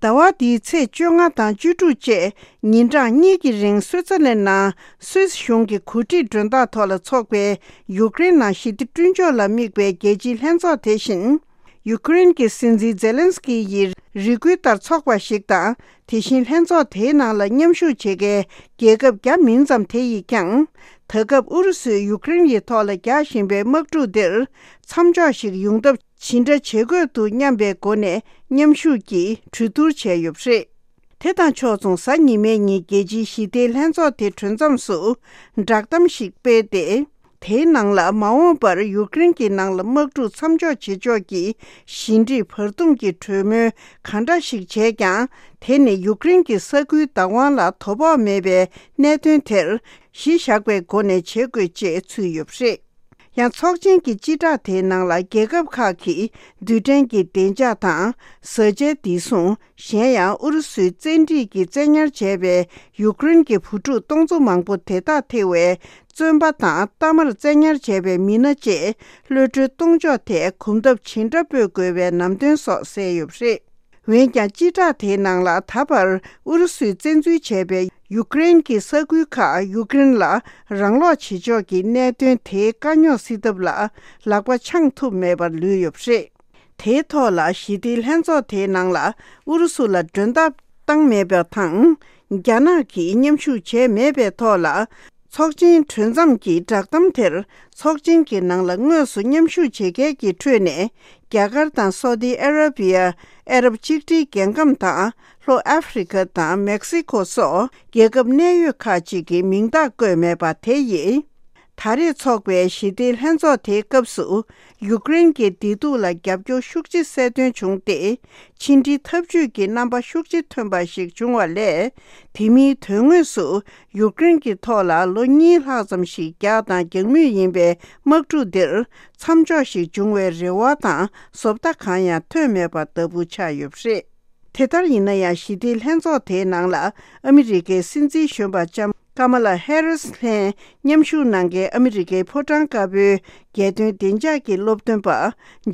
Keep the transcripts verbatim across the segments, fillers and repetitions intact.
ཟླ་བ་འདིའི་ཚེས་བཅོ་ལྔ་དང་བཅུ་དྲུག་བཅས་ཉིན་གྲངས་གཉིས་ཀྱི་རིང་སུད་ཙར་ལན་ནང་སུད་སི་གཞུང་གི་གོ་སྒྲིག་མགྲོན་བདག་ཐོག་ལ་འཚོགས་པའི་ཡུཀ་རེན་ནང་ཞི་བདེ་བསྐྲུན་ཕྱོགས་ལ་དམིགས་པའི་རྒྱལ་སྤྱིའི་ལྷན་ཚོགས་དེ་བཞིན། ཡུཀ་རེན་གྱི་སྲིད་འཛིན་ཛེ་ལན་སི་ཀི་ཡིས་རེ་སྐུལ་ལྟར་འཚོགས་པ་ཞིག་དང་། དེ་བཞིན་ལྷན་ཚོགས་དེའི་ནང་ལ་མཉམ་ཞུགས་བྱེད་མཁན་རྒྱལ་ཁབ་བརྒྱ་མིན་ཙམ་དེ་ཡིས་ཀྱང་། ད་སྐབས་ཨུ་རུ་སུས་ཡུཀ་རེན་ཡི་ཐོག་ལ་རྒྱག་བཞིན་པའི་དམག་འཁྲུག་འདིར་མཚམས་འཇོག་ཞིག་ཡོང་ཐབས་ཇི་འདྲ་བྱེད་དགོས་འདུག་སྙམ་པའི་སྒོ་ནས་མཉམ་ཞུགས་ཀྱིས་གྲོས་བསྡུར་བྱས་ཡོད་པ་རེད། དེ་དང་ཕྱོགས་མཚུངས། གཟའ་ཉི་མའི་ཉིན་རྒྱལ་སྤྱིའི་ཞི་བདེའི་ལྷན་ཚོགས་དེ་གྲོལ་མཚམས་སུ་བསྒྲགས་གཏམ་ཞིག་སྤེལ་ཏེ། དེའི་ནང་ལ་མ་འོངས་པར་ཡུཀ་རེན་གྱི་ནང་ལ་དམག་འཁྲུག་མཚམས་འཇོག་བྱེད་ཕྱོགས་ཀྱི་ཞི་འགྲིག་བར་འདུམ་གྱི་གྲོས་མོལ་གང་འདྲ་ཞིག་བྱས་ཀྱང་། དེ་ནི་ཡུཀ་རེན་གྱི་ས་ཁུལ་བདག་དབང་ལ་དོ་ཕོག་མེད་པའི་གནད་དོན་དེར་གཞི་བཞག་པའི་སྒོ་ནས་བྱེད་དགོས་ཅེས་ཚུད་ཡོད་པ་རེད། ཡང་ཚོགས་ཆེན་གྱི་སྤྱི་བསྒྲགས་དེའི་ནང་ལ་རྒྱལ་ཁབ་ཁག་གིས་རྡུལ་ཕྲན་གྱི་བདེ་འཇགས་དང་བཟའ་བཅའི་བདེ་སྲུང་། གཞན་ཡང་ཨུ་རུ་སུའི་བཙན་ཁྲིད་ཀྱིས་བཙན་ཉར་བྱས་པའི་ཡུཀ་རེན་གྱི་བུ་ཕྲུག་སྟོང་ཚོ་མང་པོ་དེ་དག་ཐེ་བའི་བཙོན་པ་དང་གཏའ་མར་བཙན་ཉར་བྱས་པའི་མི་སྣ་བཅས་གློད་གྲོལ་གཏོང་ཕྱོགས་ཐད་གོམ་སྟབས་ཇི་འདྲ་སྤོས་དགོས་པའི་ལམ་སྟོན་སོགས་གསལ་ཡོད་པ་རེད། འོན་ཀྱང་སྤྱི་བསྒྲགས་དེའི་ནང་ལ་ད་བར་ཨུ་རུ་སུས་བཙན་འཛུལ་བྱས་པའི་ཡུཀ་རེན་གྱི་ས་ཁུལ་ཁག་ཡུཀ་རེན་ལ་རང་སློག་བྱེད་ཕྱོགས་ཀྱི་གནད་དོན་དེའི་དཀའ་རྙོག་སེལ་ཐབས་ལ་ལག་པ་འཆང་ཐུབ་མེད་པར་ལུས་ཡོད་པ་རེད། དེའི་ཐོག་ལ་ཞི་བདེའི་ལྷན་ཚོགས་དེའི་ནང་ལ་ཨུ་རུ་སུ་ལ་མགྲོན་བརྡ་བཏང་མེད་པ་དང་། རྒྱ་ནག་གིས་མཉམ་ཞུགས་བྱས་མེད་པའི་ཐོག་ལ། ཚོགས་ཆེན་གྲོལ་མཚམས་ཀྱི་བསྒྲགས་གཏམ་དེར། ཚོགས་ཆེན་གྱི་ནང་ལ་དངོས་སུ་མཉམ་ཞུགས་བྱེད་མཁན་གྱི་ཁྲོད་ནས། རྒྱ་གར་དང་སོ་ཏི་ཨ་ར་བི་ཡ། ཨ་རབ་གཅིག་སྒྲིལ་རྒྱལ་ཁམས་དང་། ལྷོ་ཨ་ཧྥེ་རི་ཁ་དང་མེག་སི་ཁོ་སོགས་རྒྱལ་ཁབ་གནད་ཡོད་ཁག་ཅིག་གི་མིང་རྟགས་བཀོད་མེད་པ་དེ་ཡིས། ད་རེས་འཚོགས་པའི་ཞི་བདེའི་ལྷན་ཚོགས་དེའི་སྐབས་སུ། ཡུཀ་རེན་གྱི་བདེ་སྡུག་ལ་རྒྱབ་སྐྱོར་ཤུགས་ཆེ་གསལ་སྟོན་བྱུང་སྟེ། ཕྱི་འབྲེལ་འཐབ་ཇུས་ཀྱི་རྣམ་པ་ཤུགས་ཆེ་ཐོན་པ་ཞིག་བྱུང་བ་ལས། དེ་མིན་དོན་དངོས་སུ་ཡུཀ་རེན་གྱི་ཐོག་ལ་ལོ་གཉིས་ལྷག་ཙམ་ཞིག་རྒྱག་དང་རྒྱག་མུས་ཡིན་པའི་དམག་འཁྲུག་འདིར་མཚམས་འཇོག་ཞིག་འབྱུང་བའི་རེ་བ་དང་བཟོ་ལྟ་གང་ཡང་ཐོན་མེད་པ་ལྟ་བུ་ཆགས་ཡོད་པ་རེད། དེ་ལྟར་ཡིན་ན་ཡང་། ཞི་བདེའི་ལྷན་ཚོགས་དེའི་ནང་ལ་ཨ་མི་རི་ཀའི་སྲིད་འཛིན་གཞོན་པ་ལྕམ་ཀ་མ་ལ་ཧེ་རིས་ལྷན་མཉམ་ཞུགས་གནང་མཁན་ཨ་མི་རི་ཀའི་ཕོ་བྲང་དཀར་པོའི་རྒྱལ་དོན་བདེ་འཇགས་ཀྱི་སློབ་སྟོན་པ་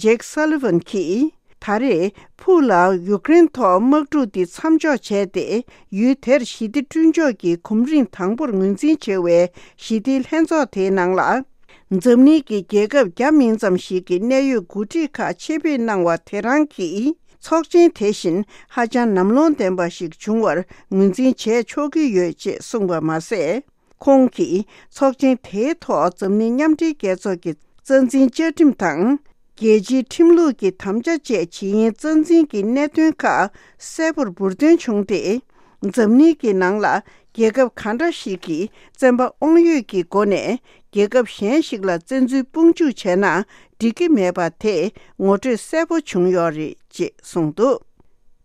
ཇེག་སཱ་ལི་ཝན་གྱིས། ད་རེས་ཕུགས་ལ་ཡུཀ་རེན་ཐོག་དམག་འཁྲུག་འདི་མཚམས་འཇོག་བྱས་ཏེ། ཡུལ་དེར་ཞི་བདེ་བསྐྲུན་ཕྱོགས་ཀྱི་གོམ་རིམ་དང་པོར་ངོས་འཛིན་བྱེད་པའི་ཞི་བདེའི་ལྷན་ཚོགས་དེའི་ནང་ལ། འཛམ་གླིང་གི་རྒྱལ་ཁབ་བརྒྱ་མིན་ཙམ་ཞིག་གི་གནད་ཡོད་འགོ་ཁྲིད་ཁག་ཆེད་ཕེབས་གནང་བ་དེ་རང་གིས། ཚོགས་ཆེན་དེ་བཞིན་ཧ་ཅང་ནམ་ལངས་ལྡན་པ་ཞིག་བྱུང་བར་ངོས་འཛིན་བྱས་ཆོག་གི་ཡོད་ཅེས་གསུངས་པ་མ་ཟད། ཁོང་གིས་ཚོགས་ཆེན་དེའི་ཐོག་འཛམ་གླིང་མཉམ་འབྲེལ་རྒྱལ་ཚོགས་ཀྱི་རྩ་འཛིན་བཅའ་ཁྲིམས་དང་། རྒྱལ་སྤྱིའི་ཁྲིམས་ལུགས་ཀྱི་དམ་བཅའ་བཅས་ཇི་ཡིན་རྩ་འཛིན་གྱི་གནད་དོན་ཁག་གསལ་པོར་འབུར་འདོན་བྱུང་སྟེ། འཛམ་གླིང་གི་ནང་ལ་རྒྱལ་ཁབ་གང་འདྲ་ཞིག་གིས་བཙན་པ་དབང་ཡོད་ཀྱི་སྒོ་ནས་རྒྱལ་ཁབ་གཞན་ཞིག་ལ་བཙན་འཛུལ་དཔུང་འཇུག་བྱས་ན་འགྲིག་གི་མེད་པ་དེ་ངོ་སྤྲོད་གསལ་པོ་བྱུང་ཡོད་རེད་ཅེས་གསུངས་འདུག་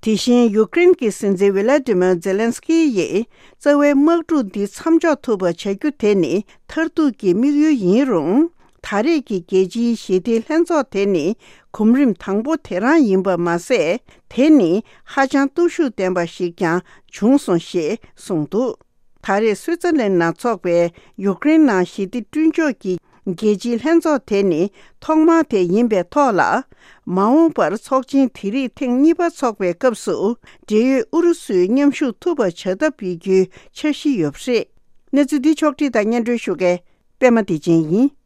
དེ་བཞིན་ཡུཀ་རེན་གྱི་སྲིད་འཛིན་ཝི་ལ་ཏི་མིར་ཛེ་ལན་སི་ཀི་ཡིས་རྩ་བའི་དམག་འཁྲུག་འདི་མཚམས་འཇོག་ཐུབ་པ་བྱ་རྒྱུ་དེ་ནི་མཐར་ཐུག་གི་དམིགས་ཡུལ་ཡིན་རུང་། ད་རེས་ཀྱི་རྒྱལ་སྤྱིའི་ཞི་བདེའི་ལྷན་ཚོགས་དེ་ནི་གོམ་རིམ་དང་པོ་དེ་རང་ཡིན་པ་མ་ཟད། དེ་ནི་ཧ་ཅང་སྟོབས་ཤུགས་ལྡན་པ་ཞིག་ཀྱང་བྱུང་སོང་ཞེས་གསུངས་འདུག་ད་རེས་སུའི་ཙར་ལན་ནང་འཚོགས་པའི་ཡུཀ་རེན་ནང་ཞི་བདེ་བསྐྲུན་ཕྱོགས་ཀྱི་རྒྱལ་སྤྱིའི་ལྷན་ཚོགས་དེ་ནི་ཐོག་མ་དེ་ཡིན་པའི་ཐོག་ལ། མ་འོངས་པར་ཚོགས་ཆེན་དེ་རིགས་ཐེངས་གཉིས་པ་འཚོགས་པའི་སྐབས་སུ། འབྲེལ་ཡོད་ཨུ་རུ་སུས་མཉམ་ཞུགས་ཐུབ་པ་བྱ་ཐབས་ཡོད་རྒྱུའི་འཆར་གཞི་ཡོད་པ་རེད། གནས་ཚུལ་འདི་ཕྱོགས་བསྒྲིགས་དང་སྙན་སྒྲོན་ཞུ་མཁན་པད་མ་བདེ་ཆེན་ཡིན།